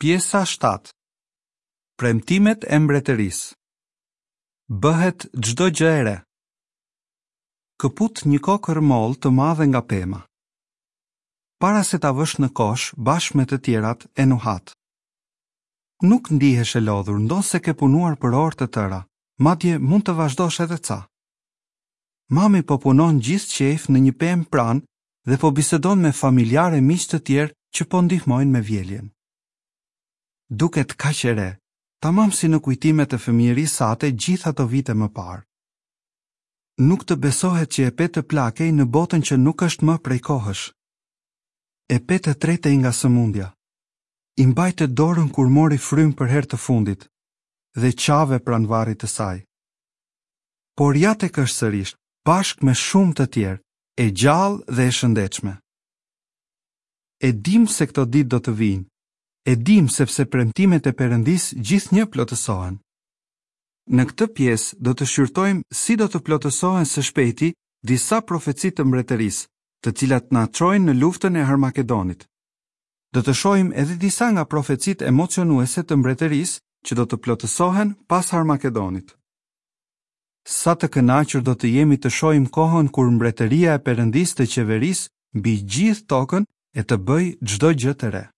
Pjesa 7 Premtimet e Mbretërisë Bëhet çdo gjë e re. Këput një kokërr mollë të madhe nga pema. Para se ta vësh në kosh bashkë me të tjerat e nuhat. Nuk ndihesh e lodhur ndonëse ke punuar për orë të tëra, madje mund të vazhdosh edhe ca. Mami po punon gjithë qejf në një pemë pranë dhe po bisedon me familjarë e miq të tjerë që po ndihmojnë me vjeljen. Duket kaq e re, tamam si në kujtimet e fëmijërisë sate gjithë ato vite më parë. Nuk të besohet që e pe të plakej në botën që nuk është më prej kohësh. E pe të tretej nga sëmundja. I mbajte dorën kur mori frymë për herë të fundit dhe qave pranë varrit të saj. Por ja tek është sërish, bashkë me shumë të tjerë, e gjallë dhe e shëndetshme. E dimë se këto ditë do të vijnë. E dimë sepse premtimet e Perëndisë gjithnjë plotësohen. Në këtë pjesë do të shqyrtojmë si do të plotësohen së shpejti disa profeci të Mbretërisë, të cilat na çojnë në luftën e Harmagedonit. Do të shohim edhe disa nga profecitë emocionuese të Mbretërisë që do të plotësohen pas Harmagedonit. Sa të kënaqur do të jemi të shohim kohën kur Mbretëria e Perëndisë të qeverisë mbi gjithë tokën e të bëjë çdo gjë të re.